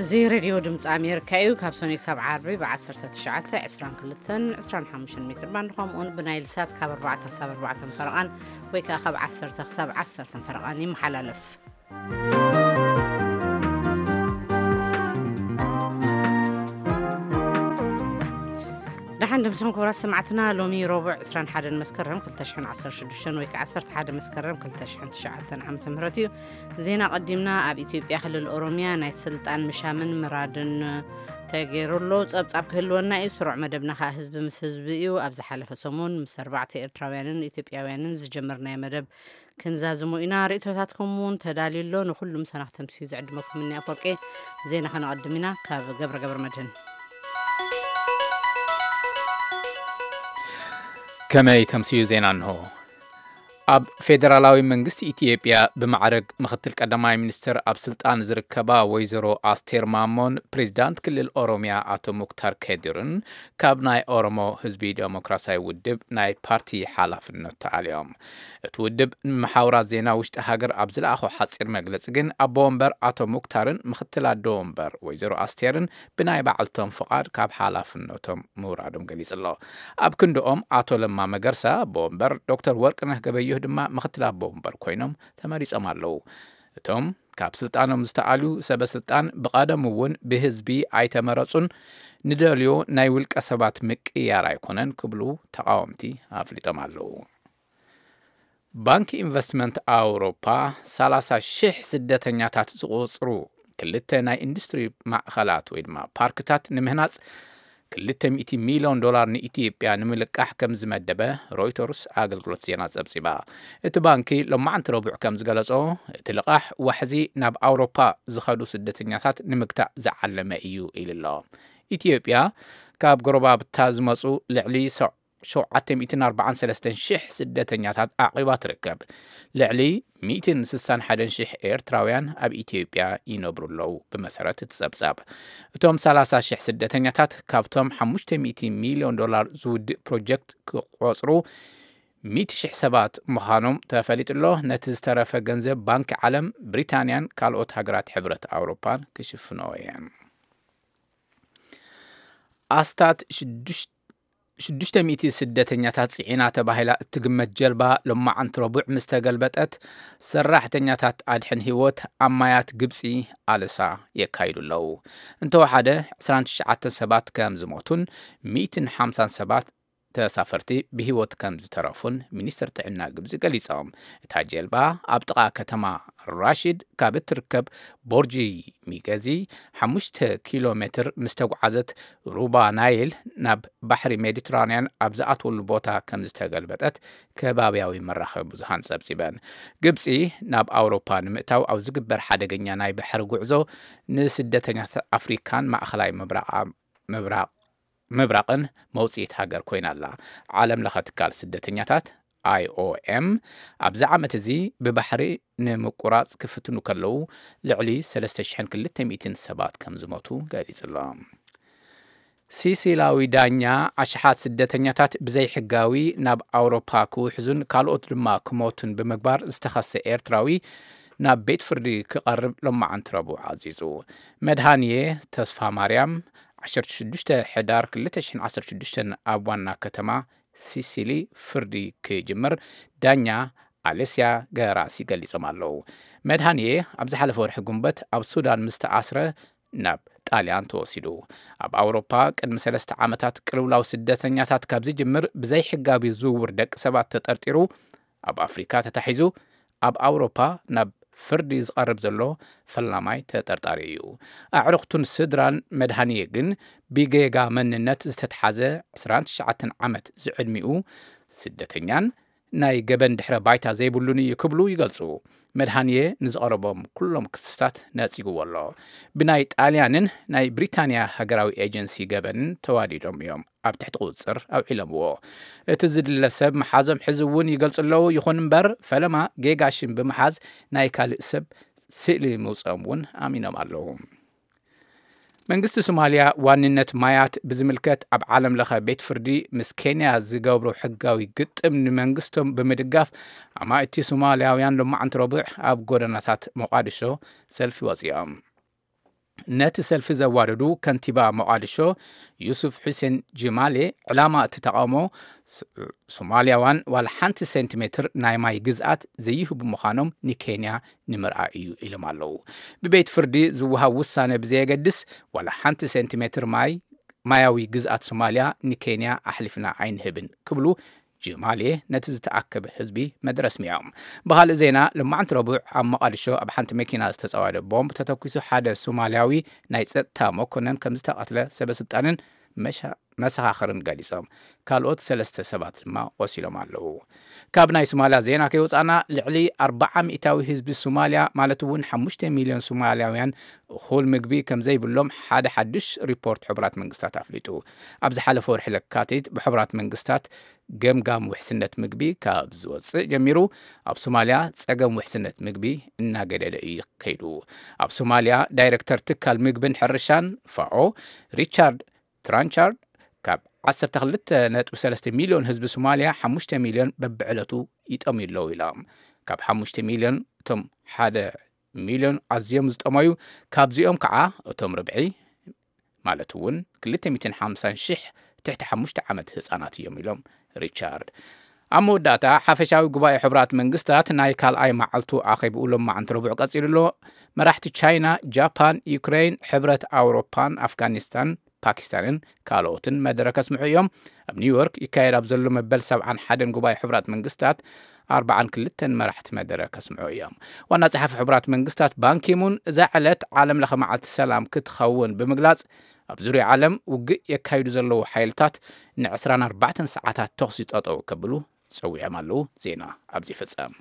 እዚ ሬድዮ ድምፂ ኣሜሪካ እዩ። ካብ ሰኑይ ክሳብ ዓርቢ ብ19፣ 22፣ 25 ሜትር ባንድ፣ ከምኡውን ብናይል ሳት ካብ ኣርባዕተ ክሳብ ኣርባዕተ ፈረቓን፣ ወይ ከዓ ካብ ዓሰርተ ክሳብ ዓሰርተ ፈረቓን ይመሓላለፍ። ደሓን ድምስኹም ክቡራት ሰማዕትና። ሎሚ ረቡዕ ዕስራን ሓደን መስከረም ክልተ ሽሕን ዓሰርተ ሽዱሽተን ወይ ከዓ ዓሰርተ ሓደ መስከረም ክልተ ሽሕን ትሽዓተን ዓመተ ምህረት እዩ። ዜና ቀዲምና። ኣብ ኢትዮጵያ ክልል ኦሮሚያ ናይ ስልጣን ምሻምን ምራድን ተገይሩ ኣሎ። ጸብጻብ ክህልወና እዩ። ስሩዕ መደብና ከዓ ህዝቢ ምስ ህዝቢ እዩ። ኣብ ዝሓለፈ ሰሙን ምስ ኣርባዕተ ኤርትራውያንን ኢትዮጵያውያንን ዝጀመርናዮ መደብ ክንዛዝሞ ኢና። ርእይቶታትኩም እውን ተዳልዩ ኣሎ። ንኹሉ ምሳና ክተምስዩ ዝዕድመኩም እኒ ኣፈወርቂ። ዜና ከነቐድም ኢና። ካብ ገብረ ገብረ መድህን። ከመይ ተምስዩ ዜና እንሆ። ኣብ ፌደራላዊ መንግስቲ ኢትዮጵያ ብማዕረግ ምኽትል ቀዳማይ ሚኒስትር ኣብ ስልጣን ዝርከባ ወይዘሮ ኣስቴር ማሞን ፕሬዚዳንት ክልል ኦሮሚያ ኣቶ ሙክታር ከድርን ካብ ናይ ኦሮሞ ህዝቢ ዴሞክራሲያዊ ውድብ ናይ ፓርቲ ሓላፍነት ተኣልዮም። እቲ ውድብ ንመሓውራት ዜና ውሽጢ ሃገር ኣብ ዝለኣኾ ሓፂር መግለፂ ግን ኣቦ ወንበር ኣቶ ሙክታርን ምኽትል ኣዶ ወንበር ወይዘሮ ኣስቴርን ብናይ ባዕልቶም ፍቓድ ካብ ሓላፍነቶም ምውራዶም ገሊጹ ኣሎ። ኣብ ክንድኦም ኣቶ ለማ መገርሳ ኣቦ ወንበር፣ ዶክተር ወርቅነህ ገበየሁ ድማ ምኽትል ኣቦ ወንበር ኮይኖም ተመሪጾም ኣለዉ። እቶም ካብ ስልጣኖም ዝተኣልዩ ሰበ ስልጣን ብቐደም እውን ብህዝቢ ኣይተመረጹን፣ ንደልዮ ናይ ውልቀ ሰባት ምቅያር ኣይኮነን ክብሉ ተቓወምቲ ኣፍሊጦም ኣለዉ። ባንኪ ኢንቨስትመንት ኣውሮፓ ሰላሳ ሽሕ ስደተኛታት ዝቑጽሩ ክልተ ናይ ኢንዱስትሪ ማእኸላት ወይ ድማ ፓርክታት ንምህናጽ ክልተ ሚእቲ ሚልዮን ዶላር ንኢትዮጵያ ንምልቃሕ ከም ዝመደበ ሮይተርስ ኣገልግሎት ዜና ጸብጺባ። እቲ ባንኪ ሎማዕንቲ ረቡዕ ከም ዝገለጾ፣ እቲ ልቓሕ ዋሕዚ ናብ ኣውሮፓ ዝኸዱ ስደተኛታት ንምግታእ ዝዓለመ እዩ ኢሉ ኣሎ። ኢትዮጵያ ካብ ጎረባብታ ዝመጹ ልዕሊ ሸውዓተ ሚእትን ኣርባዓን ሰለስተን ሽሕ ስደተኛታት ኣዕቒባ ትርከብ። ልዕሊ ሚእትን ስሳን ሓደን ሽሕ ኤርትራውያን ኣብ ኢትዮጵያ ይነብሩ ኣለዉ። ብመሰረት እቲ ጸብጻብ፣ እቶም ሰላሳ ሽሕ ስደተኛታት ካብቶም ሓሙሽተ ሚእቲ ሚልዮን ዶላር ዝውድእ ፕሮጀክት ክቖጽሩ ሚእቲ ሽሕ ሰባት ምዃኖም ተፈሊጡ ኣሎ። ነቲ ዝተረፈ ገንዘብ ባንኪ ዓለም፣ ብሪታንያን ካልኦት ሃገራት ሕብረት ኣውሮፓን ክሽፍኖ እየን። ኣስታት ሽዱሽተ ሽዱሽተ ሚእቲ ስደተኛታት ጽዒና ተባሂላ እትግመት ጀልባ ሎማዓንቲ ረቡዕ ምስ ተገልበጠት፣ ሰራሕተኛታት ኣድሕን ህይወት ኣብ ማያት ግብጺ ኣለሳ የካይዱ ኣለዉ። እንተወሓደ ዕስራን ትሽዓተን ሰባት ከም ዝሞቱን ሚእትን ሓምሳን ሰባት ተሳፈርቲ ብህይወት ከም ዝተረፉን ሚኒስትር ጥዕና ግብጺ ገሊጾም። እታ ጀልባ ኣብ ጥቓ ከተማ ራሺድ ካብ እትርከብ ቦርጂ ሚገዚ ሓሙሽተ ኪሎ ሜትር ምስ ተጓዓዘት፣ ሩባ ናይል ናብ ባሕሪ ሜዲትራንያን ኣብ ዝኣትወሉ ቦታ ከም ዝተገልበጠት ከባብያዊ መራኸቢ ብዙሃን ጸብጺበን። ግብጺ ናብ ኣውሮፓ ንምእታው ኣብ ዝግበር ሓደገኛ ናይ ባሕሪ ጉዕዞ ንስደተኛታት ኣፍሪካን ማእኸላይ ምብራቕ ምብራቕ ምብራቕን መውጽኢት ሃገር ኮይና ኣላ። ዓለም ለኸ ትካል ስደተኛታት፣ ኣይኦኤም፣ ኣብዚ ዓመት እዚ ብባሕሪ ንምቁራጽ ክፍትኑ ከለዉ ልዕሊ ሰለስተ ሽሕን ክልተ ሚእትን ሰባት ከም ዝሞቱ ገሊጹ ኣሎ። ሲሲላዊ ዳኛ ኣሽሓት ስደተኛታት ብዘይሕጋዊ ናብ ኣውሮፓ ክውሕዙን ካልኦት ድማ ክሞቱን ብምግባር ዝተኸሰ ኤርትራዊ ናብ ቤት ፍርዲ ክቐርብ ሎማዓንቲ ረቡዕ ኣዚዙ። መድሃንየ ተስፋ ማርያም፣ ዓሰርተ ሽዱሽተ ሕዳር ክልተ ሽሕን ዓሰርተ ሽዱሽተን ኣብ ዋና ከተማ ሲሲሊ ፍርዲ ክጅምር ዳኛ ኣሌስያ ገራሲ ገሊጾም ኣለዉ። መድሃንየ ኣብ ዝሓለፈ ወርሒ ጉንበት ኣብ ሱዳን ምስ ተኣስረ ናብ ጣልያን ተወሲዱ። ኣብ ኣውሮፓ ቅድሚ ሰለስተ ዓመታት ቅልውላው ስደተኛታት ካብ ዝጅምር ብዘይሕጋዊ ዝውውር ደቂ ሰባት ተጠርጢሩ ኣብ ኣፍሪካ ተታሒዙ ኣብ ኣውሮፓ ናብ ፍርዲ ዝቐርብ ዘሎ ፈላማይ ተጠርጣሪ እዩ። ኣዕሩኽቱን ስድራን መድሃንየ ግን ብጌጋ መንነት ዝተትሓዘ ዕስራን ትሽዓተን ዓመት ዝዕድሚኡ ስደተኛን ናይ ገበን ድሕረ ባይታ ዘይብሉን እዩ ክብሉ ይገልጹ። መድሃንየ ንዝቐረቦም ኩሎም ክስታት ነጺግዎ ኣሎ። ብናይ ጣልያንን ናይ ብሪታንያ ሃገራዊ ኤጀንሲ ገበንን ተዋዲዶም እዮም ኣብ ትሕቲ ቁጽጽር ኣውዒሎምዎ። እቲ ዝድለ ሰብ መሓዞም ሕዚ እውን ይገልጹ ኣለዉ። ይኹን እምበር፣ ፈለማ ጌጋ ሽም ብምሓዝ ናይ ካልእ ሰብ ስእሊ ምውጽኦም እውን ኣሚኖም ኣለዉ። መንግስቲ ሶማልያ ዋንነት ማያት ብዝምልከት ኣብ ዓለም ለኸ ቤት ፍርዲ ምስ ኬንያ ዝገብሮ ሕጋዊ ግጥም ንመንግስቶም ብምድጋፍ፣ ኣማእቲ ሶማልያውያን ሎማዓንቲ ረቡዕ ኣብ ጎደናታት ሞቃዲሾ ሰልፊ ወጺኦም። ነቲ ሰልፊ ዘዋደዱ ከንቲባ ሞቓድሾ ዩሱፍ ሑሴን ጅማሌ፣ ዕላማ እቲ ተቓውሞ ስ-፣ ሶማልያውያን ዋላ ሓንቲ ሴንቲሜትር ናይ ማይ ግዝኣት ዘይህቡ ምዃኖም ንኬንያ ንምርኣይ እዩ ኢሎም ኣለዉ። ብቤት ፍርዲ ዝወሃብ ውሳነ ብዘየገድስ ዋላ ሓንቲ ሴንቲሜትር ማይ፣ ማያዊ ግዝኣት ሶማልያ ንኬንያ ኣሕሊፍና ኣይንህብን ክብሉ ጅማሌ ነቲ ዝተኣከበ ህዝቢ መደረ ኣስሚዖም። ብኻልእ ዜና፣ ሎማዕንቲ ረቡዕ ኣብ መቓድሾ ኣብ ሓንቲ መኪና ዝተጸወደ ቦምብ ተተኲሱ ሓደ ሶማልያዊ ናይ ጸጥታ መኮነን ከም ዝተቐትለ ሰበ ስልጣንን መሻ-፣ መሰኻኽርን ገሊጾም። ካልኦት ሰለስተ ሰባት ድማ ቆሲሎም ኣለዉ። ካብ ናይ ሶማልያ ዜና ከይወጻና፣ ልዕሊ ኣርብዓ ሚእታዊ ህዝቢ ሶማልያ፣ ማለት እውን ሓሙሽተ ሚልዮን ሶማልያውያን፣ እኹል ምግቢ ከም ዘይብሎም ሓደ ሓድሽ ሪፖርት ሕቡራት መንግስታት ኣፍሊጡ። ኣብ ዝሓለፈ ወርሒ ለካቲት ብሕቡራት መንግስታት ገምጋም ውሕስነት ምግቢ ካብ ዝወጽእ ጀሚሩ፣ ኣብ ሶማልያ ጸገም ውሕስነት ምግቢ እናገደደ እዩ ከይዱ። ኣብ ሶማልያ ዳይሬክተር ትካል ምግብን ሕርሻን ፋኦ ሪቻርድ ትራንቻርድ፣ ካብ ዓሰርተ ክልተ ነጥቢ ሰለስተ ሚልዮን ህዝቢ ሶማልያ ሓሙሽተ ሚልዮን በብዕለቱ ይጠምዩ ኣለዉ ኢሎም። ካብ ሓሙሽተ ሚልዮን እቶም ሓደ ሚልዮን ኣዝዮም ዝጠመዩ፣ ካብዚኦም ከዓ እቶም ርብዒ፣ ማለት እውን ክልተ ሚእትን ሓምሳን ሽሕ፣ ትሕቲ ሓሙሽተ ዓመት ህፃናት እዮም ኢሎም ሪቻርድ። ኣብ መወዳእታ፣ ሓፈሻዊ ጉባኤ ሕቡራት መንግስታት ናይ ካልኣይ መዓልቱ ኣኼብኡ ሎማዕንቲ ረቡዕ ቀፂሉ ኣሎ። መራሕቲ ቻይና፣ ጃፓን፣ ዩክሬን፣ ሕብረት ኣውሮፓን ኣፍጋኒስታን፣ ፓኪስታንን ካልኦትን መደረ ከስምዑ እዮም። ኣብ ኒውዮርክ ይካየድ ኣብ ዘሎ መበል ሰብዓን ሓደን ጉባኤ ሕቡራት መንግስታት ኣርብዓን ክልተን መራሕቲ መደረ ከስምዑ እዮም። ዋና ጸሓፊ ሕቡራት መንግስታት ባንኪሙን እዛ ዕለት ዓለም ለኸ መዓልቲ ሰላም ክትኸውን ብምግላጽ፣ ኣብ ዙርያ ዓለም ውግእ የካይዱ ዘለዉ ሓይልታት ንዕስራን ኣርባዕተን ሰዓታት ተኹሲ ጠጠው ከብሉ ጸዊዖም ኣለዉ። ዜና ኣብዚ ይፍጸም።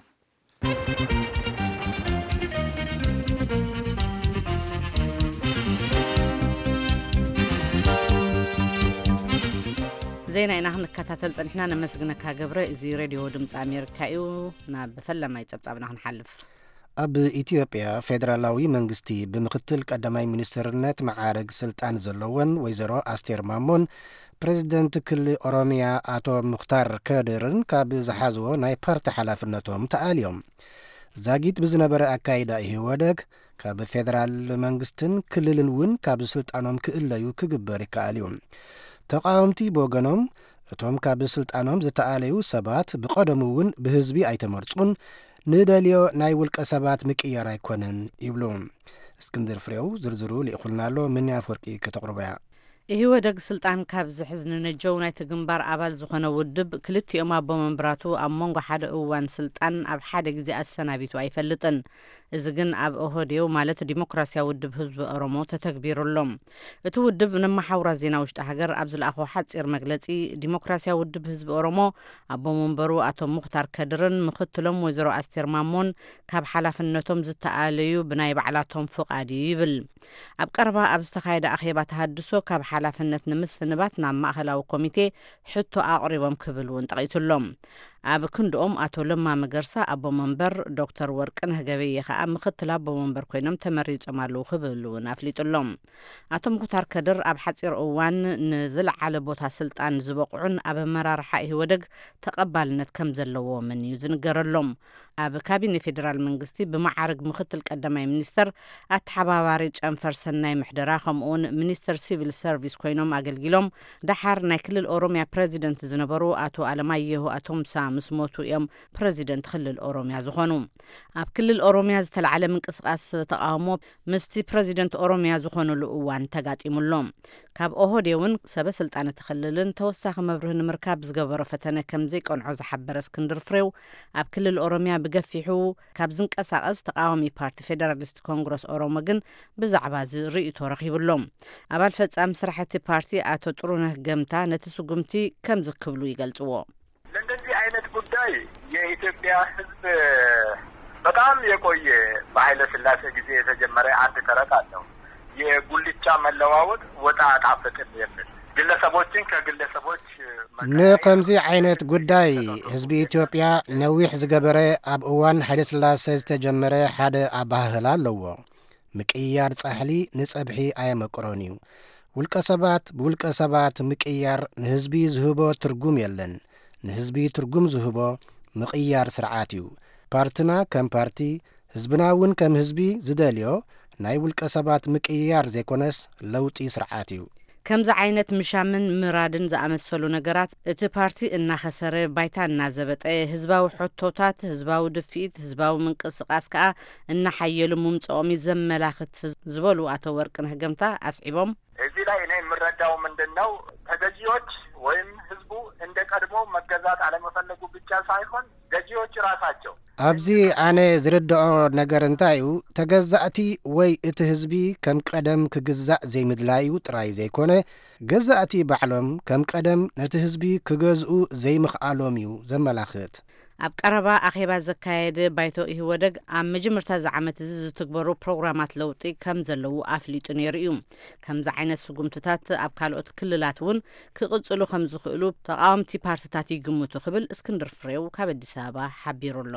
ዜና ኢና ክንከታተል ጸኒሕና። ነመስግነካ ገብረ። እዚ ሬድዮ ድምፂ ኣሜሪካ እዩ። ናብ ፈለማይ ጸብጻብና ክንሓልፍ። ኣብ ኢትዮጵያ ፌደራላዊ መንግስቲ ብምክትል ቀዳማይ ሚኒስትርነት መዓርግ ስልጣን ዘለወን ወይዘሮ ኣስቴር ማሞን ፕሬዚደንት ክልል ኦሮሚያ ኣቶ ሙኽታር ከድርን ካብ ዝሓዝዎ ናይ ፓርቲ ሓላፍነቶም ተኣልዮም። ዛጊት ብዝነበረ ኣካይዳ ኢህወደግ ካብ ፌደራል መንግስትን ክልልን እውን ካብ ስልጣኖም ክእለዩ ክግበር ይከኣል እዩ። ተቃወምቲ ብወገኖም፣ እቶም ካብ ስልጣኖም ዝተኣለዩ ሰባት ብቐደሙ እውን ብህዝቢ ኣይተመርጹን፣ ንደልዮ ናይ ውልቀ ሰባት ምቅያር ኣይኮነን ይብሉ። እስክንድር ፍሬው ዝርዝሩ ልኢኹልና ኣሎ፣ ምኒ ኣፍወርቂ ከተቕርቦ እያ። ኢህወደግ ስልጣን ካብ ዝሕዝ ንነጀው ናይቲ ግንባር ኣባል ዝኾነ ውድብ ክልቲኦም ኣቦ መንብራቱ ኣብ መንጎ ሓደ እዋን ስልጣን ኣብ ሓደ ግዜ ኣሰናቢቱ ኣይፈልጥን። እዚ ግን ኣብ ኦህዴው ማለት ዲሞክራሲያዊ ውድብ ህዝቢ ኦሮሞ ተተግቢሩ ኣሎ። እቲ ውድብ ነመሓውራት ዜና ውሽጢ ሃገር ኣብ ዝለኣኾ ሓጺር መግለጺ፣ ዲሞክራሲያዊ ውድብ ህዝቢ ኦሮሞ ኣቦ መንበሩ ኣቶ ሙኽታር ከድርን ምኽትሎም ወይዘሮ ኣስቴር ማሞን ካብ ሓላፍነቶም ዝተኣለዩ ብናይ ባዕላቶም ፍቓድ እዩ ይብል። ኣብ ቀረባ ኣብ ዝተኻየደ ኣኼባ ተሃድሶ ካብ ሓላፍነት ንምስንባት ናብ ማእኸላዊ ኮሚቴ ሕቶ ኣቕሪቦም ክብል እውን ጠቒሱሎም። ኣብ ክንድኦም ኣቶ ለማ መገርሳ ኣቦ መንበር፣ ዶክተር ወርቅነህ ገበየ ከኣ ምኽትል ኣቦ መንበር ኮይኖም ተመሪጾም ኣለዉ ክብል እውን ኣፍሊጡሎም። ኣቶ ሙኽታር ከድር ኣብ ሓጺር እዋን ንዝለዓለ ቦታ ስልጣን ዝበቕዑን ኣብ ኣመራርሓ ኢህወደግ ተቐባልነት ከም ዘለዎምን እዩ ዝንገረሎም። ኣብ ካቢኔ ፌዴራል መንግስቲ ብመዓርግ ምኽትል ቀዳማይ ሚኒስተር፣ ኣተሓባባሪ ጨንፈር ሰናይ ምሕደራ፣ ከምኡውን ሚኒስተር ሲቪል ሰርቪስ ኮይኖም ኣገልጊሎም። ደሓር ናይ ክልል ኦሮሚያ ፕረዚደንት ዝነበሩ ኣቶ ኣለማየሁ ኣቶምሳ ምስ ሞቱ እዮም ፕረዚደንት ክልል ኦሮሚያ ዝኾኑ። ኣብ ክልል ኦሮሚያ ዝተላዕለ ምንቅስቃስ ተቃውሞ ምስቲ ፕረዚደንት ኦሮሚያ ዝኾነሉ እዋን ተጋጢሙ ኣሎ። ካብ ኦህዴውን ሰበ ስልጣን እቲ ክልልን ተወሳኺ መብርሂ ንምርካብ ዝገበሮ ፈተነ ከም ዘይቀንዖ ዝሓበረ እስክንድር ፍሬው፣ ኣብ ክልል ኦሮሚያ ብገፊሑ ካብ ዝንቀሳቐስ ተቃዋሚ ፓርቲ ፌደራሊስት ኮንግረስ ኦሮሞ ግን ብዛዕባ እዚ ርእይቶ ረኺቡ ኣሎ። ኣባል ፈጻሚ ስራሕ እቲ ፓርቲ ኣቶ ጥሩነህ ገምታ ነቲ ስጉምቲ ከምዚ ክብሉ ይገልጽዎ። ለእንደዚህ አይነት ጉዳይ የኢትዮጵያ ሕዝብ በጣም የቆየ፣ በኃይለ ሥላሴ ጊዜ የተጀመረ አንድ ተረት አለው። የጉልቻ መለዋወጥ ወጥ አያጣፍጥም የሚል፣ ግለሰቦችን ከግለሰቦች መቀያየር ንከምዚ ዓይነት ጉዳይ ህዝቢ ኢትዮጵያ ነዊሕ ዝገበረ፣ ኣብ እዋን ኃይለ ሥላሴ ዝተጀመረ ሓደ ኣበሃህላ ኣለዎ። ምቅያር ጻሕሊ ንጸብሒ ኣየመቅሮን እዩ። ውልቀ ሰባት ብውልቀ ሰባት ምቅያር ንህዝቢ ዝህቦ ትርጉም የለን። ንህዝቢ ትርጉም ዝህቦ ምቕያር ስርዓት እዩ። ፓርትና ከም ፓርቲ፣ ህዝብና እውን ከም ህዝቢ ዝደልዮ ናይ ውልቀ ሰባት ምቅይያር ዘይኮነስ ለውጢ ስርዓት እዩ። ከምዚ ዓይነት ምሻምን ምራድን ዝኣመሰሉ ነገራት እቲ ፓርቲ እናኸሰረ፣ ባይታ እናዘበጠ፣ ህዝባዊ ሕቶታት፣ ህዝባዊ ድፍኢት፣ ህዝባዊ ምንቅስቃስ ከኣ እናሓየሉ ምምጽኦም እዩ ዘመላኽት ዝበሉ ኣቶ ወርቅነህ ገምታ ኣስዒቦም። እዚህ ላይ እኔ የምረዳው ምንድን ነው፣ ተገዢዎች ወይም ህዝቡ እንደ ቀድሞ መገዛት አለመፈለጉ ብቻ ሳይሆን ገዢዎች ራሳቸው ኣብዚ ኣነ ዝርድኦ ነገር እንታይ እዩ፣ ተገዛእቲ ወይ እቲ ህዝቢ ከም ቀደም ክግዛእ ዘይምድላዩ ጥራይ ዘይኮነ፣ ገዛእቲ ባዕሎም ከም ቀደም ነቲ ህዝቢ ክገዝኡ ዘይምኽኣሎም እዩ ዘመላኽት። ኣብ ቀረባ ኣኼባ ዘካየደ ባይቶ ኢህወደግ ኣብ መጀመርታ እዚ ዓመት እዚ ዝትግበሩ ፕሮግራማት ለውጢ ከም ዘለዉ ኣፍሊጡ ነይሩ እዩ። ከምዚ ዓይነት ስጉምትታት ኣብ ካልኦት ክልላት እውን ክቕጽሉ ከም ዝኽእሉ ተቓወምቲ ፓርትታት ይግምቱ ክብል እስክንድር ፍሬው ካብ ኣዲስ ኣበባ ሓቢሩ ኣሎ።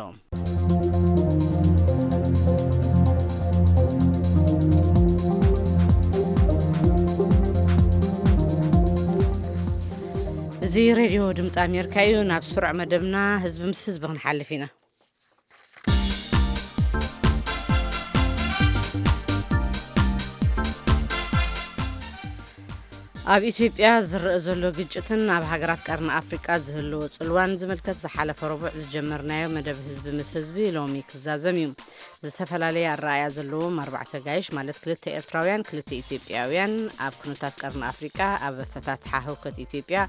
እዚ ሬድዮ ድምፂ ኣሜሪካ እዩ። ናብ ስሩዕ መደብና ህዝቢ ምስ ህዝቢ ክንሓልፍ ኢና። ኣብ ኢትዮጵያ ዝረአ ዘሎ ግጭትን ኣብ ሃገራት ቀርኒ ኣፍሪቃ ዝህልዎ ጽልዋን ዝምልከት ዝሓለፈ ረቡዕ ዝጀመርናዮ መደብ ህዝቢ ምስ ህዝቢ ሎሚ ክዛዘም እዩ። ዝተፈላለየ ኣረኣእያ ዘለዎም ኣርባዕተ ጋይሽ፣ ማለት ክልተ ኤርትራውያን፣ ክልተ ኢትዮጵያውያን፣ ኣብ ኩነታት ቀርኒ ኣፍሪቃ ኣብ ኣፈታትሓ ህውከት ኢትዮጵያ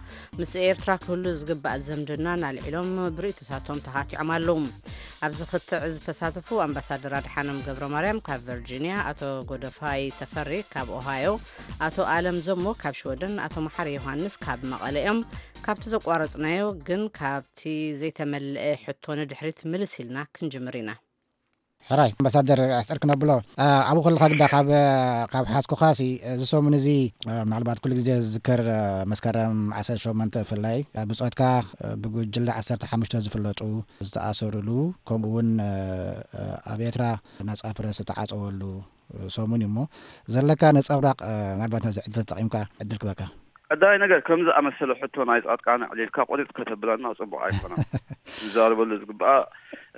ምስ ኤርትራ ክህሉ ዝግባእ ዝምድናን ኣልዒሎም ብርእይቶታቶም ተኻቲዖም ኣለዉ። ኣብዚ ክትዕ ዝተሳተፉ ኣምባሳደር ኣድሓኖም ገብረ ማርያም ካብ ቨርጂንያ፣ ኣቶ ጎደፋይ ተፈሪ ካብ ኦሃዮ፣ ኣቶ ኣለም ዘሞ ካብ ሽወደን፣ ኣቶ መሓሪ ዮሃንስ ካብ መቐለ እዮም። ካብቲ ዘቋረጽናዮ ግን ካብቲ ዘይተመልአ ሕቶ ንድሕሪት ምልስ ኢልና ክንጅምር ኢና። ሕራይ ኣምባሳደር ኣስዕር ክነብሎ፣ ኣ፣ ኣብኡ ከለኻ ግዳ ካብ፣ ካብ ሓዝኩኻሲ፣ እዚ ሰሙን እዚ፣ እ፣ ምናልባት ኩሉ ግዜ ዝዝከር፣ እ፣ መስከረም ዓሰርተ ሸሞንተ ብፍላይ፣ እ፣ ብጾትካ፣ እ፣ ብጉጅለ ዓሰርተ ሓሙሽተ ዝፍለጡ ዝተኣሰሩሉ፣ ከምኡ እውን፣ እ፣ እ፣ ኣብ ኤርትራ ነጻ ፕረስ ዝተዓጸወሉ፣ እ፣ ሰሙን እዩ እሞ፣ ዘለካ ነጸብራቕ፣ እ፣ ምናልባት ነዚ ዕድል ተጠቒምካ ዕድል ክበካ። ቀዳማይ ነገር፣ ከምዚ ዝኣመሰለ ሕቶ ናይ ጻድቃን ኣዕሊልካ ቁርጥ ከተብለና ጽቡቕ ኣይኮነን። ዝዛረበሉ ዝግባእ፣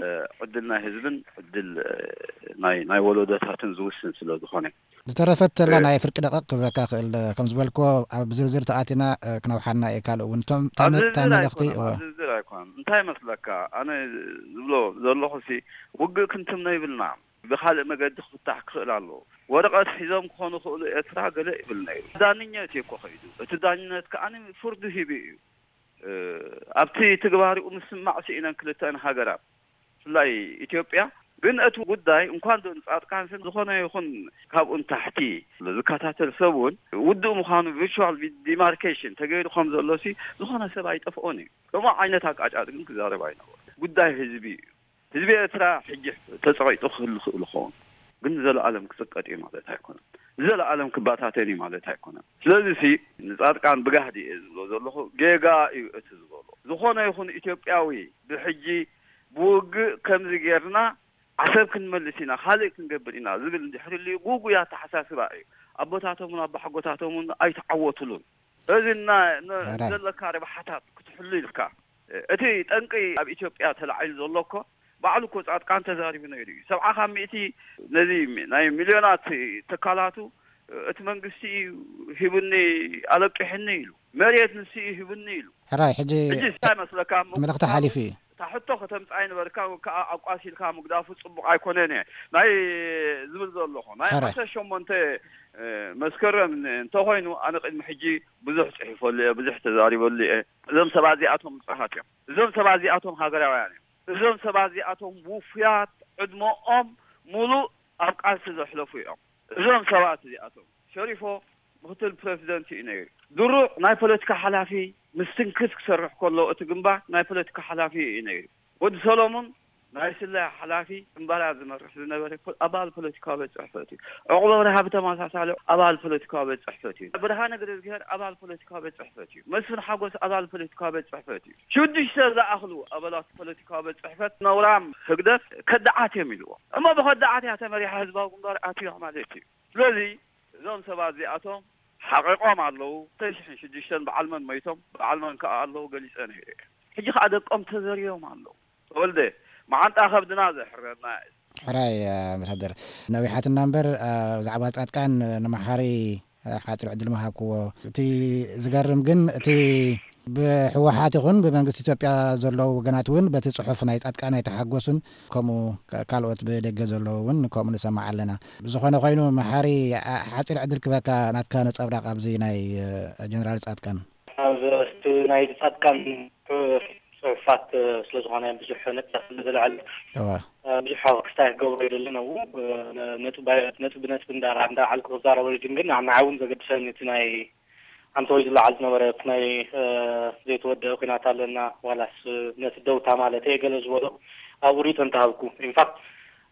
እ፣ ዕድል ናይ ህዝብን ዕድል፣ እ፣ ናይ፣ ናይ ወለዶታትን ዝውስን ስለ ዝኾነ። ዝተረፈት ተላ እ፣ ናይ ፍርቂ ደቂቕ ክበካ ክእል፣ ከም ዝበልክዎ ኣብ ዝርዝር ተኣቲና፣ እ፣ ክነውሓና እየ። ካልእ እውን እቶም ኣብ ታመ-፣ ዝርዝር ታመለኽቲ፣ ኣይኮነን፣ እወ። ኣብ ዝርዝር ኣይኮነን። እንታይ መስለካ? ኣነ ዝብሎ ዘለኹ ሲ፣ ውግእ ክንትምኖ ይብልና። ብኻልእ መገዲ ክፍታሕ ክኽእል ኣለዎ። ወረቐት ሒዞም ክኾኑ ክኽእሉ ኤርትራ ገለ ይብል ነይሩ። ዳንነት እዩ እኮ ከይዱ። እቲ ዳንነት ከኣ ፍርዱ ሂቡ እዩ። እ፣ ኣብቲ ትግባሪኡ ምስማዕ ስኢነን ክልተን ሃገራት፣ ብፍላይ ኢትዮጵያ። ግን እቲ ጉዳይ እንኳን ዶ ንጻድቃን ስም ዝኾነ ይኹን ካብኡ ንታሕቲ ዝከታተል ሰብ እውን ውድእ ምዃኑ ቪርቹዋል ዲማርኬሽን ተገይሩ ከም ዘሎ ሲ ዝኾነ ሰብ ኣይጠፍኦን እዩ። ከምኡ ዓይነት ኣቃጫጭ ግን ክዛረብ ኣይነበሮ። ጉዳይ ህዝቢ እዩ። ህዝቢ ኤርትራ ሕጂ ተጸቒጡ ክህሉ ክእል ይኸውን፣ ግን ንዘለኣለም ክጽቀጥ እዩ ማለት ኣይኮነን። ንዘለኣለም ክባታተን እዩ ማለት ኣይኮነን። ስለዚ ሲ ንጻድቃን ብጋህዲ እየ ዝብሎ ዘለኹ፣ ጌጋ እዩ እቲ ዝበሎ። ዝኾነ ይኹን ኢትዮጵያዊ ብሕጂ ብውግእ ከምዚ ጌርና ዓሰብ ክንመልስ ኢና፣ ካልእ ክንገብር ኢና ዝብል እንድሕር ልዩ ጉጉይ ኣተሓሳስባ እዩ። ኣቦታቶምን ኣባሓጎታቶምን ኣይተዓወትሉን። እዚ እና-፣ ን-፣ ሕራይ። ዘለካ ረብሓታት ክትሕሉ ኢልካ፣ እቲ ጠንቂ ኣብ ኢትዮጵያ ተላዒሉ ዘሎ እኮ፣ ባዕሉ እኮ ጻድቃን ተዛሪቡ ነይሩ እዩ። ሰብዓ ካብ ሚእቲ ነዚ ሚ-፣ ናይ ሚልዮናት ትካላቱ፣ እቲ መንግስቲ እዩ ሂቡኒ፣ ኣለቂሕኒ ኢሉ። መሬት ንሱ እዩ ሂቡኒ ኢሉ። ሕራይ፣ ሕጂ ሕጂ እንታይ መስለካ? መልእኽቲ ሓሊፉ እዩ። እታ ሕቶ ከተምጽኣ ይነበርካ፣ ወይ ከዓ ኣቋሲልካ ምግዳፉ ጽቡቕ ኣይኮነን እየ ናይ ዝብል ዘለኹ። ናይ ሕራይ። ዓሰርተ ሸሞንተ፣ እ፣ መስከረም ን-፣ እንተኾይኑ፣ ኣነ ቅድሚ ሕጂ ብዙሕ ጽሒፈሉ እየ፣ ብዙሕ ተዛሪበሉ እየ። እዞም ሰባት እዚኣቶም ንጹሃት እዮም። እዞም ሰባት እዚኣቶም ሃገራውያን እዮም። እዞም ሰባት እዚኣቶም ውፉያት፣ ዕድመኦም ሙሉእ ኣብ ቃልሲ ዘሕለፉ እዮም። እዞም ሰባት እዚኣቶም፣ ሸሪፎ ምክትል ፕረዚደንት እዩ ነይሩ። ድሩዕ ናይ ፖለቲካ ሓላፊ፣ ምስትንክፍ ክሰርሕ ከሎ እቲ ግንባር ናይ ፖለቲካ ሓላፊ እዩ ነይሩ። ወዲ ሰሎሙን ናይ ስለያ ሓላፊ፣ ግንባራት ዝመርሕ ዝነበረ ፖ-፣ ኣባል ፖለቲካዊ ቤት ጽሕፈት እዩ። ዕቑብ ኣብርሃ ብተመሳሳሊ ኣባል ፖለቲካዊ ቤት ጽሕፈት እዩ። ብርሃነ ገረዝግሄር ኣባል ፖለቲካዊ ቤት ጽሕፈት እዩ። መስፍን ሓጎስ ኣባል ፖለቲካዊ ቤት ጽሕፈት እዩ። ሽዱሽተ ዝኣኽሉ ኣባላት ፖለቲካዊ ቤት ጽሕፈት ነውራም ህግደፍ ከዳዓት እዮም ኢልዎም። እሞ ብኸዳዓት እያ ተመሪሓ ህዝባዊ ግንባር ኣትያ ማለት እዩ። ስለዚ እዞም ሰባት እዚኣቶም ሓቒቖም ኣለዉ። ክልተ ሽሕን ሽዱሽተን በዓል መን መይቶም፣ በዓል መን ከኣ ኣለዉ ገሊጸ ነይረ እየ። ሕጂ ከኣ ደቆም ተዘርዮም ኣለዉ። ተወልደ፣ መዓንጣ ከብድና ዘሕረርና እዩ። ሕራይ ኣምባሳደር፣ ነዊሓትና እምበር ብዛዕባ ጻድቃን ንመሓሪ ሓፂር ዕድል ምሃብክዎ። እቲ ዝገርም ግን እቲ ብህወሓት ይኹን ብመንግስቲ ኢትዮጵያ ዘለዉ ወገናት እውን በቲ ጽሑፍ ናይ ጻድቃን ኣይተሓጎሱን፣ ከምኡ ካልኦት ብደገ ዘለዉ እውን ከምኡ ንሰማዕ ኣለና። ብዝኾነ ኮይኑ መሓሪ፣ ሓፂር ዕድል ክበካ፣ ናትካ ነጸብራቕ ኣብዚ ናይ ጀነራል ጻድቃን። ኣብ እቲ ናይ ጻድቃን ጽሑፋት ስለ ዝኾነ ብዙሕ ነጥቢ ስለ ዝልዕል ብዙሕ ክስታይ ክገብሮ ይደልን። ኣብኡ ነጥቢ ነጥቢ እንዳልዓልኩ ክዛረበሉ ግን ንዓይ እውን ዘገድሰኒ እቲ ናይ ኣንተ ወይ ዝለዓል ዝነበረ እቲ ናይ ዘይተወደአ ኩናት ኣለና ዋላስ ነቲ ደውታ ማለት እየ ገለ ዝበሎ ኣብኡ ሪኢቶ እንተሃብኩ። ኢንፋክት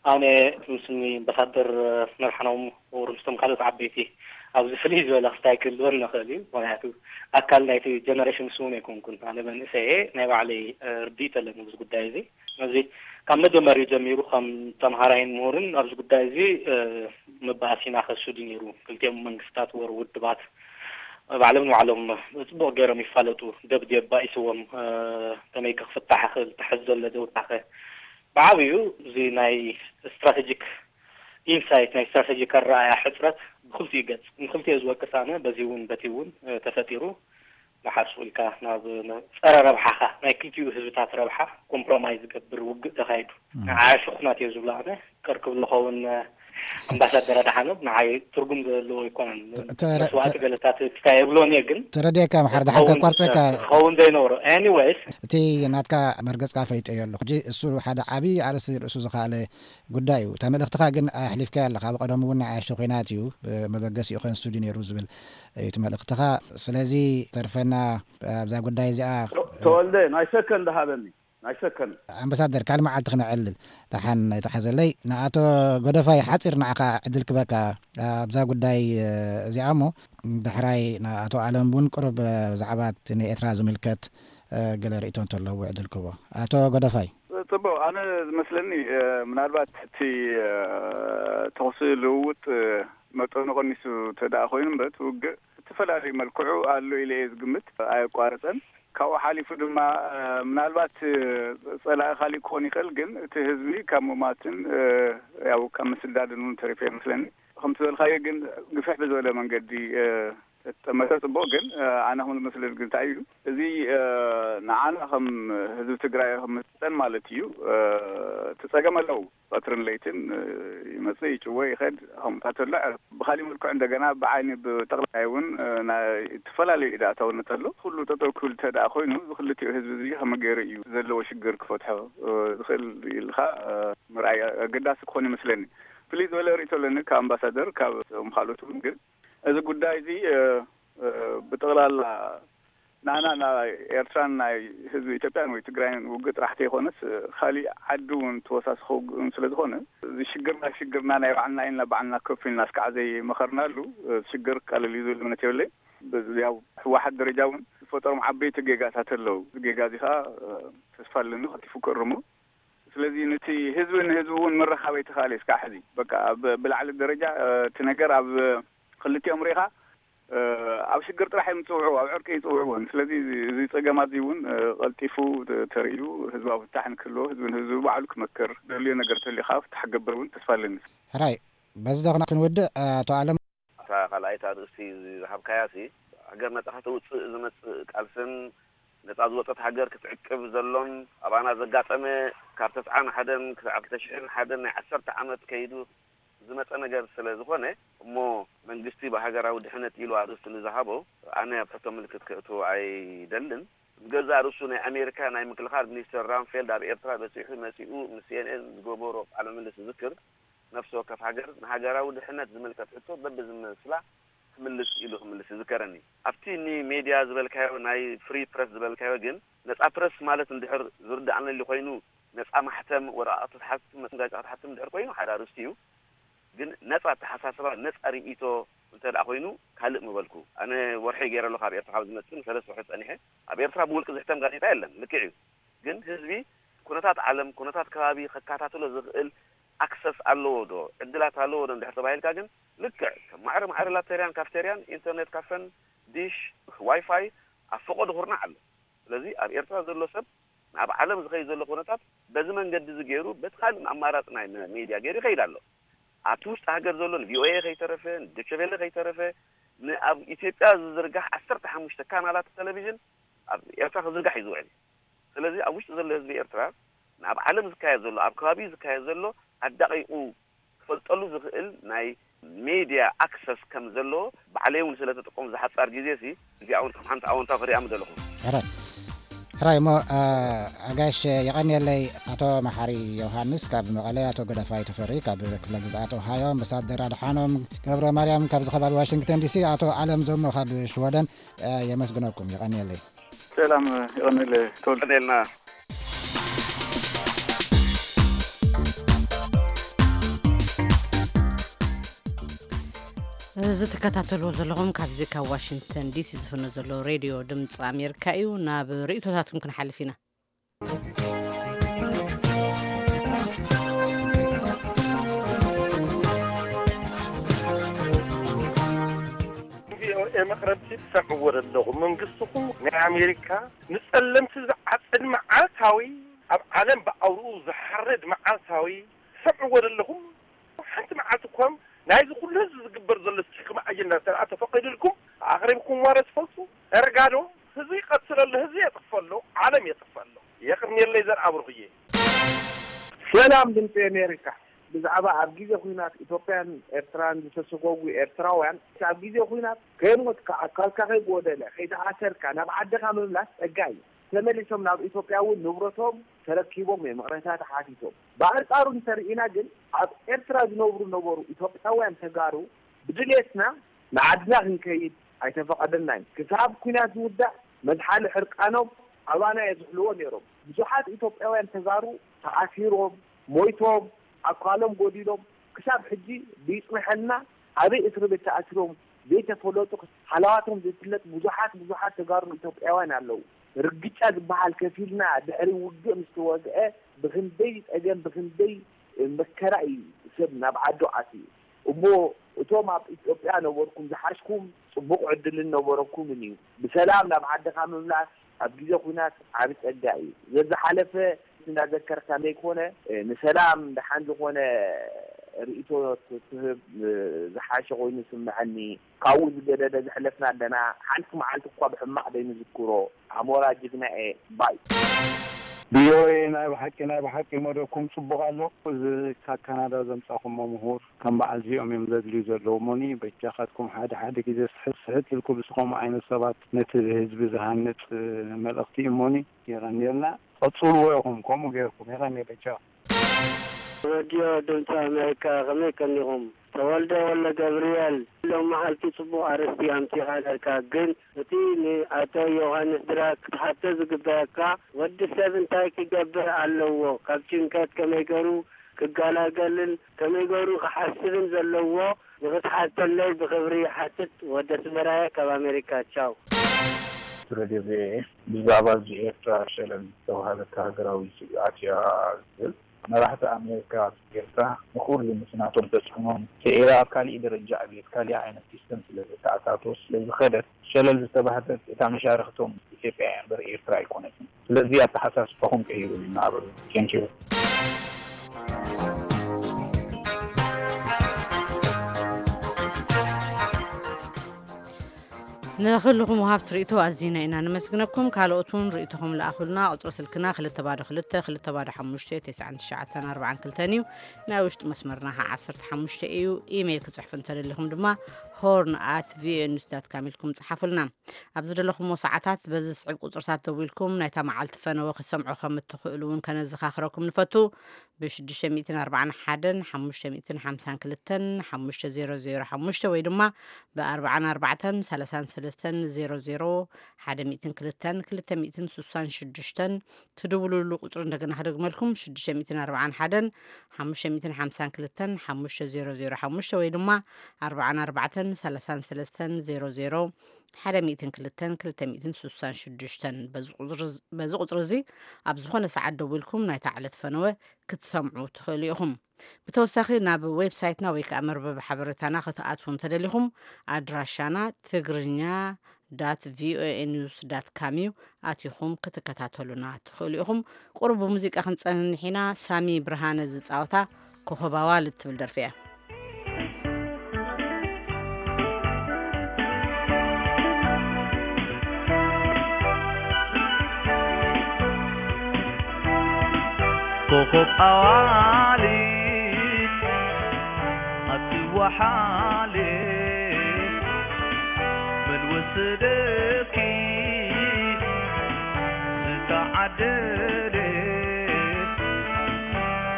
ኣነ ምስኒ ኣምባሳደር መርሓኖም ወሩ ምስቶም ካልኦት ዓበይቲ ኣብዚ ፍልይ ዝበለ ክስታይ ክህልወን ንኽእል እዩ። ምክንያቱ ኣካል ናይቲ ጀነሬሽን ንሱ እውን ኣይኮንኩን። ኣነ መንእሰይ እየ፣ ናይ ባዕለይ ርድኢት ኣለኒ ኣብዚ ጉዳይ እዚ። እዚ ካብ መጀመሪኡ ጀሚሩ ከም ተምሃራይን ምሁርን ኣብዚ ጉዳይ እዚ መባእሲና ከስዱ ነይሩ። ክልቲኦም መንግስታት ወር ውድባት ባዕሎም ንባዕሎም ጽቡቕ ገይሮም ይፋለጡ። ደብዴ ባኢስዎም ከመይ ክፍታሕ ክእል ተሐዝ ዘሎ ደውታኸ ብዓብዩ እዚ ናይ ስትራቴጂክ ኢንሳይት ናይ ስትራቴጂክ ኣረኣያ ሕፅረት ብክልቲኡ ገፅ ንክልቲኡ ዝወቅስ ኣነ በዚ እውን በቲ እውን ተፈጢሩ ንሓርሱ ኢልካ ናብ ጸረ ረብሓኻ ናይ ክልቲኡ ህዝብታት ረብሓ ኮምፕሮማይዝ ዝገብር ውግእ ተኻይዱ። ንዓያ ሽኹናት እየ ዝብሎ ኣነ ቅር ክብሎ ኸውን ኣምባሳደር ኣድሓኖም ንዓይ ትርጉም ዘለዎ ኣይኮነን። መስዋእቲ ገለታት ክስታይ የብሎን እየ ግን ተረዲእካ ምሓር ድሓር ከቋርፀካ ክኸውን ዘይነበሮ። ኤኒዌይስ እቲ ናትካ መርገፅካ ፈሊጠዮ ኣለኹ ሕጂ እሱ ሓደ ዓብዪ ኣርእስቲ ርእሱ ዝኸኣለ ጉዳይ እዩ። እታ መልእኽትኻ ግን ኣሕሊፍካያ ኣለኻ። ኣብ ቀደሙ እውን ንዓይ ኣሸኺናት እዩ መበገሲኡ ከንስቱ ድዩ ነይሩ ዝብል እዩ እቲ መልእኽትኻ። ስለዚ ተርፈና ኣብዛ ጉዳይ እዚኣ ተወልደ ናይ ሰከንድ ሃበኒ ናይ ሰከንድ። ኣምባሳደር ካልእ መዓልቲ ክነዕልል ደሓን ኣይተሓዘለይ። ንኣቶ ጎደፋይ ሓፂር ንዓኻ ዕድል ክበካ ኣብዛ ጉዳይ እዚኣ እሞ ዳሕራይ ንኣቶ ኣለም እውን ቅሩብ ብዛዕባ እቲ ንኤርትራ ዝምልከት ገለ ርእቶ እንተለዎ ዕድል ክቦ። ኣቶ ጎደፋይ። ጽቡቕ ኣነ ዝመስለኒ ምናልባት እቲ ተኹሲ ልውውጥ መጠኑ ቀኒሱ ተደኣ ኮይኑ እምበር እቲ ውግእ እተፈላለዩ መልክዑ ኣሎ ኢለ እየ ዝግምት። ኣየቋረጸን። ካብኡ ሓሊፉ ድማ ምናልባት ጸላኢ ካሊእ ክኾን ይኽእል፣ ግን እቲ ህዝቢ ካብ ምማትን ያው ካብ ምስዳድን እውን ተሪፉ እየ መስለኒ። ከምቲ ዝበልካዮ ግን ግፍሕ ብዝበለ መንገዲ ተጠመተ ጽቡቕ፣ ግን ኣነ ከም ዝመስለኒ ግን እንታይ እዩ እዚ ንዓና ከም ህዝቢ ትግራይ ከም ምስጠን ማለት እዩ። እቲ ጸገም ኣለዉ ቀትርን ለይትን ይመጽእ ይጭወ ይኸድ ከምኡታት ኣሎ። ብካሊእ መልክዑ እንደገና ብዓይኒ ብጠቕላይ እውን ናይ ዝተፈላለዩ ኢዳእታውነት ኣሎ። ኩሉ ጠጠው ክብል እንተ ደኣ ኮይኑ እዚ ክልቲኡ ህዝቢ እዚ ከመይ ገይሩ እዩ ዘለዎ ሽግር ክፈትሖ ዝኽእል ኢልካ ምርኣይ ኣገዳሲ ክኾን ይመስለኒ። ፍልይ ዝበለ ርእቶ ኣለኒ ካብ ኣምባሳደር ካብ ካልኦት እውን ግን እዚ ጉዳይ እዚ ብጠቕላላ ንዓና ናይ ኤርትራን ናይ ህዝቢ ኢትዮጵያን ወይ ትግራይን ውግእ ጥራሕ ተይኮነስ ካሊእ ዓዲ እውን ተወሳስኺ ውግእ እውን ስለ ዝኾነ እዚ ሽግርና ሽግርና ናይ ባዕልና ኢልና ባዕልና ከፍ ኢልና እስካዕ ዘይመኸርናሉ ሽግር ክቃለል እዩ ዝብል እምነት የብለይ። ያው ህወሓት ደረጃ እውን ዝፈጠሮም ዓበይቲ ጌጋታት ኣለዉ። እዚ ጌጋ እዚ ከዓ ተስፋ ኣለኒ ቀልጢፉ ክእርሞ። ስለዚ ነቲ ህዝቢ ንህዝቢ እውን ምርኻብ ኣይተኻእለ እስካዕ ሕዚ በቃ ብላዕሊ ደረጃ እቲ ነገር ኣብ ክልቲኦም ሪኢኻ ኣብ ሽግር ጥራሕ እዮም ዝፅውዕዎ፣ ኣብ ዕርቂ ኣይፅውዕዎን። ስለዚ እዚ ፀገማት እዚ እውን ቀልጢፉ ተርእዩ ህዝባዊ ፍታሕ ንክህልዎ ህዝቢ ንህዝቢ ባዕሉ ክመክር ደልዮ ነገር ተልዩ ከዓ ፍታሕ ክገብር እውን ተስፋ ኣለኒ። ሕራይ በዚ ዶ ክንወድእ ኣቶ ኣለም? እታ ካልኣይቲ ኣርእስቲ ዝሃብካያ ሲ ሃገር ነፃ ከተውፅእ ዝመፅእ ቃልስን ነፃ ዝወፀት ሃገር ክትዕቅብ ዘሎን ኣባና ዘጋጠመ ካብ ተስዓን ሓደን ክሳብ ክልተ ሽሕን ሓደን ናይ ዓሰርተ ዓመት ከይዱ ዝመፀ ነገር ስለ ዝኾነ እሞ መንግስቲ ብሃገራዊ ድሕነት ኢሉ ኣርእስቲ ንዝሃቦ ኣነ ኣብ ሕቶ ምልክት ከእትዎ ኣይደልን። ብገዛእ ርእሱ ናይ ኣሜሪካ ናይ ምክልኻል ሚኒስተር ራምፌልድ ኣብ ኤርትራ በፂሑ መፂኡ ምስ ሲኤንኤን ዝገበሮ ቃለ ምልልስ ዝዝክር ነፍሲ ወከፍ ሃገር ንሃገራዊ ድሕነት ዝምልከት ሕቶ በብዝመስላ ክምልስ ኢሉ ክምልስ ይዝከረኒ። ኣብቲ ኒ ሜድያ ዝበልካዮ ናይ ፍሪ ፕረስ ዝበልካዮ ግን ነፃ ፕረስ ማለት እንድሕር ዝርድኣነሊ ኮይኑ ነፃ ማሕተም ወረቓቕቲ ትሓትም ጋዜጣ ክትሓትም እንድሕር ኮይኑ ሓደ ኣርእስቲ እዩ። ግን ነፃ ኣተሓሳስባ ነፃ ርእይቶ እንተ ደኣ ኮይኑ ካልእ ምበልኩ። ኣነ ወርሒ ገይረ ኣለኹ ኣብ ኤርትራ ካብ ዝመፅእ ንሰለስተ ወርሒ ፀኒሐ። ኣብ ኤርትራ ብውልቂ ዝሕተም ጋዜጣ የለን። ልክዕ እዩ። ግን ህዝቢ ኩነታት ዓለም ኩነታት ከባቢ ከካታትሎ ዝኽእል ኣክሰስ ኣለዎ ዶ ዕድላት ኣለዎ ዶ እንድሕር ተባሂልካ ግን ልክዕ ከም ማዕረ ማዕረ ላተርያን ካፍተርያን ኢንተርኔት ካፈን ዲሽ ዋይፋይ ኣብ ፈቐዶ ኩርናዕ ኣሎ። ስለዚ ኣብ ኤርትራ ዘሎ ሰብ ኣብ ዓለም ዝኸይድ ዘሎ ኩነታት በዚ መንገዲ እዚ ገይሩ በቲ ካልእ ኣማራፂ ናይ ሚድያ ገይሩ ይኸይድ ኣሎ። ኣብቲ ውሽጢ ሃገር ዘሎ ንቪኦኤ ከይተረፈ ንዶቸቬለ ከይተረፈ ንኣብ ኢትዮጵያ ዝዝርጋሕ ዓሰርተ ሓሙሽተ ካናላት ቴሌቪዥን ኣብ ኤርትራ ክዝርጋሕ እዩ ዝውዕል። ስለዚ ኣብ ውሽጢ ዘሎ ህዝቢ ኤርትራ ናብ ዓለም ዝካየድ ዘሎ ኣብ ከባቢ ዝካየድ ዘሎ ኣዳቂቁ ክፈልጠሉ ዝኽእል ናይ ሜድያ ኣክሰስ ከም ዘለዎ ባዕለይ እውን ስለተጠቀሙ ዝሓፃር ግዜ ሲ እዚኣ እውን ከም ሓንቲ ኣወንታዊ ክሪኣ ምደለኹ። ሕራይ ሕራይ እሞ ኣጋሽ የቐንየለይ። ኣቶ መሓሪ ዮሃንስ ካብ መቐለ፣ ኣቶ ገደፋይ ተፈሪ ካብ ክፍለ ግዝኣት ኦሃዮ፣ ኣምባሳደር ኣድሓኖም ገብረ ማርያም ካብ ዝኸባቢ ዋሽንግተን ዲሲ፣ ኣቶ ኣለም ዞሞ ካብ ሽወደን። የመስግነኩም። የቐንየለይ። ሰላም ይቐንል ተወልደ። ቀኔልና። እዚ ትከታተልዎ ዘለኹም ካብዚ ካብ ዋሽንግተን ዲሲ ዝፍኖ ዘሎ ሬድዮ ድምፂ ኣሜሪካ እዩ። ናብ ርእቶታትኩም ክንሓልፍ ኢና። ቪኦኤ መቕረብቲ ትሰምዕዎ ዘለኹም መንግስትኹም ናይ ኣሜሪካ ንጸለምቲ ዝዓጽድ መዓልታዊ ኣብ ዓለም ብኣውርኡ ዝሓርድ መዓልታዊ ትሰምዕዎ ዘለኹም ሓንቲ መዓልቲ እኳም ናይዚ ኩሉ ህዝቢ ዝግበር ዘሎ ጭክሚ ኣጀንዳ እንተ ተፈቒዱልኩም ኣቕሪብኩም ዋረ ትፈልጡ? እርጋዶ ህዝቢ ይቐትለሉ ህዝቢ የጥፈሎ ዓለም የጥፈሎ። የቕንየለይ ዘርኣብሩኽዬ። ሰላም ድምፂ ኣሜሪካ። ብዛዕባ ኣብ ግዜ ኹናት ኢትዮጵያን ኤርትራን ዝተሰጎጉ ኤርትራውያን ኣብ ግዜ ኹናት ከይሞትካ ኣካልካ ከይጎደለ ከይተኣሰርካ ናብ ዓድኻ ምምላስ ፀጋ እዩ። ተመሊሶም ናብ ኢትዮጵያ እውን ንብረቶም ተረኪቦም እዮም ይቕሬታ ተሓቲቶም። ብኣንፃሩ እንተርኢና ግን ኣብ ኤርትራ ዝነብሩ ነበሩ ኢትዮጵያውያን ተጋሩ ብድሌትና ንዓድና ክንከይድ ኣይተፈቐደልናን። ክሳብ ኲናት ዝውዳእ መዝሓሊ ሕርቃኖም ኣባና የዝሕልዎ ነይሮም። ብዙሓት ኢትዮጵያውያን ተጋሩ ተኣሲሮም፣ ሞይቶም፣ ኣካሎም ጎዲሎም ክሳብ ሕጂ ብይፅንሐልና ኣበይ እስሪ ቤት ተኣሲሮም ዘይተፈለጡ ሃለዋቶም ዘይፍለጥ ብዙሓት ብዙሓት ተጋሩ ኢትዮጵያውያን ኣለዉ። ርግጫ ዝበሃል ከፊልና ድሕሪ ውግእ ምስ ተወግአ ብኽንደይ ፀገም ብኽንደይ መከራ እዩ ሰብ ናብ ዓዱ ኣትዩ። እሞ እቶም ኣብ ኢትዮጵያ ነበርኩም ዝሓሽኩም ፅቡቕ ዕድልን ነበረኩምን እዩ። ብሰላም ናብ ዓድኻ ምምላስ ኣብ ግዜ ኹናት ዓቢ ጸጋ እዩ። ዘዝሓለፈ እንዳዘከርካ ዘይኮነ ንሰላም ደሓን ዝኾነ ርእይቶ ትህብ ዝሓሸ ኮይኑ ይስምዐኒ። ካብኡ ዝገደደ ዘሕለፍና ኣለና ሓንቲ መዓልቲ እኳ ብሕማቕ ዘይንዝክሮ። ኣሞራ ጅግና እየ ባይ። ቪኦኤ ናይ ብሓቂ ናይ ብሓቂ መደብኩም ጽቡቕ ኣሎ። እዚ ካብ ካናዳ ዘምጻኹሞ ምሁር ከም በዓል እዚኦም እዮም ዘድልዩ ዘለዉ እሞኒ በጃኻትኩም ሓደ ሓደ ግዜ ስሕት ስሕት ኢልኩ ብስኸምኡ ዓይነት ሰባት ነቲ ህዝቢ ዝሃንጽ መልእኽቲ እዩ እሞኒ የቐንየልና። ቀጽልዎ ኢኹም ከምኡ ጌርኩም የቐንየ በጃኹም። ረድዮ ድምፂ ኣሜሪካ ከመይ ቀኒኹም? ተወልደ ወልደገብርኤል ሎም መዓልቲ ፅቡቕ ኣርእስቲ ኣምፂኻ ነርካ ግን እቲ ንኣቶ ዮሃንስ ድራር ክትሓቶ ዝግበኣካ ወዲ ሰብ እንታይ ክገብር ኣለዎ ካብ ጭንቀት ከመይ ገሩ ክገላገልን ከመይ ገሩ ክሓስብን ዘለዎ ንኽትሓተለይ ብኽብሪ ይሓትት ወዲ ኣስመራየ ካብ ኣሜሪካ ቻው። ረድዮ ቪኦኤ ብዛዕባ እዚ ኤርትራ ሸለል ዝተባህለት ሃገራዊ ስግኣት እያ ዝብል መራሕቲ ኣሜሪካ ኤርትራ ንኹሉ ምስ ናቶም ተጽዕኖን ስዒራ ኣብ ካሊእ ደረጃ ዕብየት ካሊእ ዓይነት ሲስተም ስለ ዘተኣታቶ ስለ ዝኸደት ሸለል ዝተባህለት እታ መሻርኽቶም ኢትዮጵያ እያ እምበር ኤርትራ ኣይኮነትን። ስለዚ ኣተሓሳስባኹም ቀይሩ እናበሉ ቴንኪዩ። ንኹልኹም ወሃብቲ ርእይቶ ኣዚና ኢና ነመስግነኩም። ካልኦት እውን ርእይቶኹም ለኣኹልና። ቁጽሪ ስልክና ክልተ ባዶ ክልተ ክልተ ባዶ ሓሙሽተ ተስዓን ትሽዓተን ኣርባዓን ክልተን እዩ። ናይ ውሽጢ መስመርና ከዓ ዓሰርተ ሓሙሽተ እዩ። ኢሜይል ክጽሕፉ እንተደሊኹም ድማ ሆርን ኣት ቪኦኤ ኒውስ ዳት ካም ኢልኩም ጽሓፉልና። ኣብ ዝደለኹምዎ ሰዓታት በዚ ዝስዕብ ቁጽርታት ደዊልኩም ናይታ መዓልቲ ፈነወ ክትሰምዑ ከም እትኽእሉ እውን ከነዘኻኽረኩም ንፈቱ። ብ ሽዱሽተ ሚእትን ኣርባዓን ሓደን ሓሙሽተ ሚእትን ሓምሳን ክልተን ሓሙሽተ ዜሮ ዜሮ ሓሙሽተ ወይ ድማ ብ ኣርባዓን ኣርባዕተን ሰላሳን ሰለስተን ዜሮ ዜሮ ሓደ ሚእትን ክልተን ክልተ ሚእትን ስሳን ሽዱሽተን ትድውሉሉ ቁጽሪ እንደገና ክደግመልኩም ሽዱሽተ ሚእትን ኣርባዓን ሓደን ሓሙሽተ ሚእትን ሓምሳን ክልተን ሓሙሽተ ዜሮ ዜሮ ሓሙሽተ ወይ ድማ ኣርባዓን ኣርባዕተን ሰላሳን ሰለስተን ዜሮ ዜሮ ሓደ ሚእትን ክልተን ክልተ ሚእትን ስሳን ሽዱሽተን በዚ ቁጽሪ እዚ ኣብ ዝኾነ ሰዓት ደዊልኩም ናይታ ዕለት ፈነወ ክትሰምዑ ትኽእሉ ኢኹም። ብተወሳኺ ናብ ዌብሳይትና ወይ ከዓ መርበብ ሓበሬታና ክትኣትዉ እንተደሊኹም ኣድራሻና ትግርኛ ዳት ቪኦኤ ኒውስ ዳት ካም እዩ። ኣቲኹም ክትከታተሉና ትኽእሉ ኢኹም። ቁሩብ ብሙዚቃ ክንጸንሕ ኢና። ሳሚ ብርሃነ ዝጻወታ ኮኸብ ኣዋልድ ትብል ደርፊ እያ። ኮኸብ ኣዋልድ ኣትወሓልድ፣ መን ወሰደኪ ዝተዓደለ?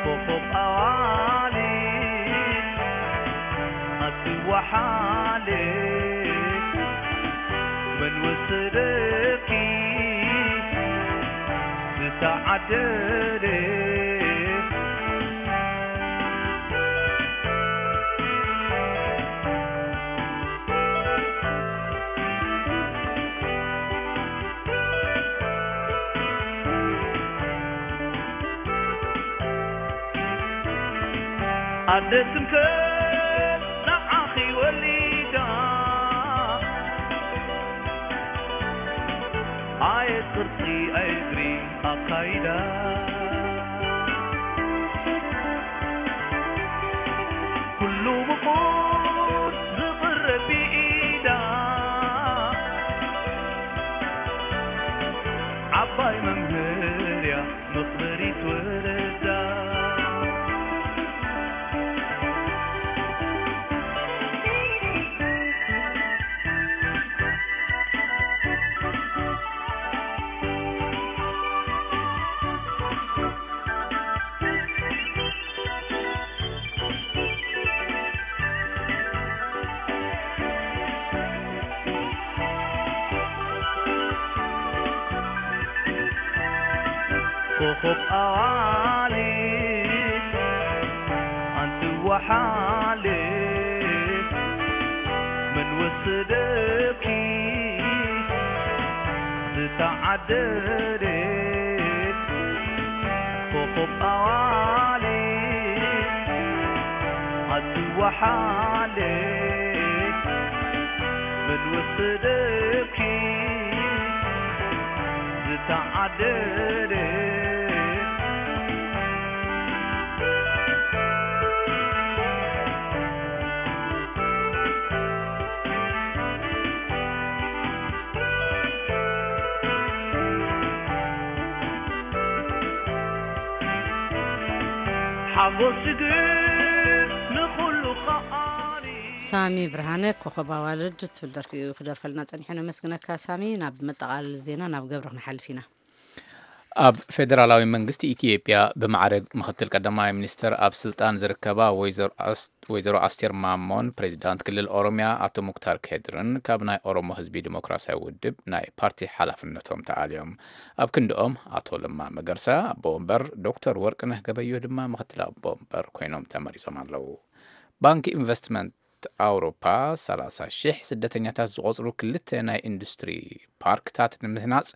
ኮኸብ ኣዋልድ ኣትወሓልድ፣ መን ወሰደኪ ዝተዓደለ? ኣደ ትምክሕቲ ንዓኺ ወሊዳ፣ ኣየ ቅርጺ ኣየ እግሪ ኣካይዳ፣ ኩሉ ብቑድ ዝቕረብ ብኢዳ፣ ዓባይ መምህር እያ መኽበሪት ወለዳ። ኮኸብ ኣዋልድ ኣንቲ ወሓልድ፣ መን ወሰደኪ ዝተዓደለት? ኮኸብ ኣዋልድ ኣንቲ ወሓልድ፣ መን ወሰደኪ ዝተዓደለ? ሓጎስ ግን ንኹሉ ከኣሊ። ሳሚ ብርሃነ ኮኸብ ኣዋልድ ትብል ደርፊ እዩ ክደርፈልና ጸኒሑ። ነመስግነካ ሳሚ። ናብ መጠቓለሊ ዜና ናብ ገብረ ክንሓልፍ ኢና። ኣብ ፌደራላዊ መንግስቲ ኢትዮጵያ ብማዕረግ ምኽትል ቀዳማይ ሚኒስትር ኣብ ስልጣን ዝርከባ ወይዘሮ ኣስ-፣ ወይዘሮ ኣስቴር ማሞን ፕሬዚዳንት ክልል ኦሮሚያ ኣቶ ሙክታር ከድርን ካብ ናይ ኦሮሞ ህዝቢ ዲሞክራሲያዊ ውድብ ናይ ፓርቲ ሓላፍነቶም ተኣልዮም። ኣብ ክንድኦም ኣቶ ለማ መገርሳ ኣቦ ወንበር፣ ዶክተር ወርቅነህ ገበዮ ድማ ምኽትል ኣቦ ወንበር ኮይኖም ተመሪጾም ኣለዉ። ባንኪ ኢንቨስትመንት ኣውሮፓ ሰላሳ ሺሕ ስደተኛታት ዝቖጽሩ ክልተ ናይ ኢንዱስትሪ ፓርክታት ንምህናጽ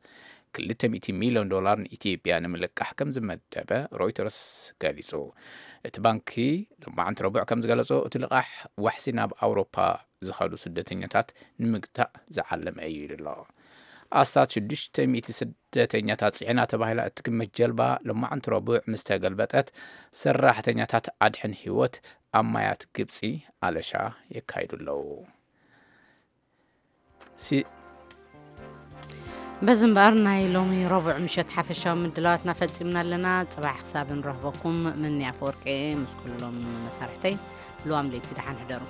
ክልተ ሚእቲ ሚልዮን ዶላር ንኢትዮጵያ ንምልቃሕ ከም ዝመደበ ሮይተርስ ገሊጹ። እቲ ባንኪ ሎማዕንቲ ረቡዕ ከም ዝገለጾ፣ እቲ ልቓሕ ዋሕሲ ናብ ኣውሮፓ ዝኸዱ ስደተኛታት ንምግታእ ዝዓለመ እዩ ኢሉ ኣሎ። ኣስታት ሽዱሽተ ሚእቲ ስደተኛታት ጽዒና ተባሂላ እትግመት ጀልባ ሎማዕንቲ ረቡዕ ምስ ተገልበጠት፣ ሰራሕተኛታት ኣድሕን ህይወት ኣብ ማያት ግብጺ ኣለሻ የካይዱ ኣለዉ። ሲ-፣ በዚ እምበኣር ናይ ሎሚ ረቡዕ ምሸት ሓፈሻዊ ምድላዋትና ፈጺምና ኣለና። ጽባሕ ክሳብ ንረኽበኩም፣ ምኒ ኣፈወርቂ ምስ ኩሎም መሳርሕተይ ልዋም ለይቲ ደሓን ሕደሩ።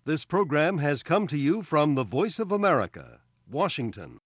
This program has come to you from the Voice of America, Washington.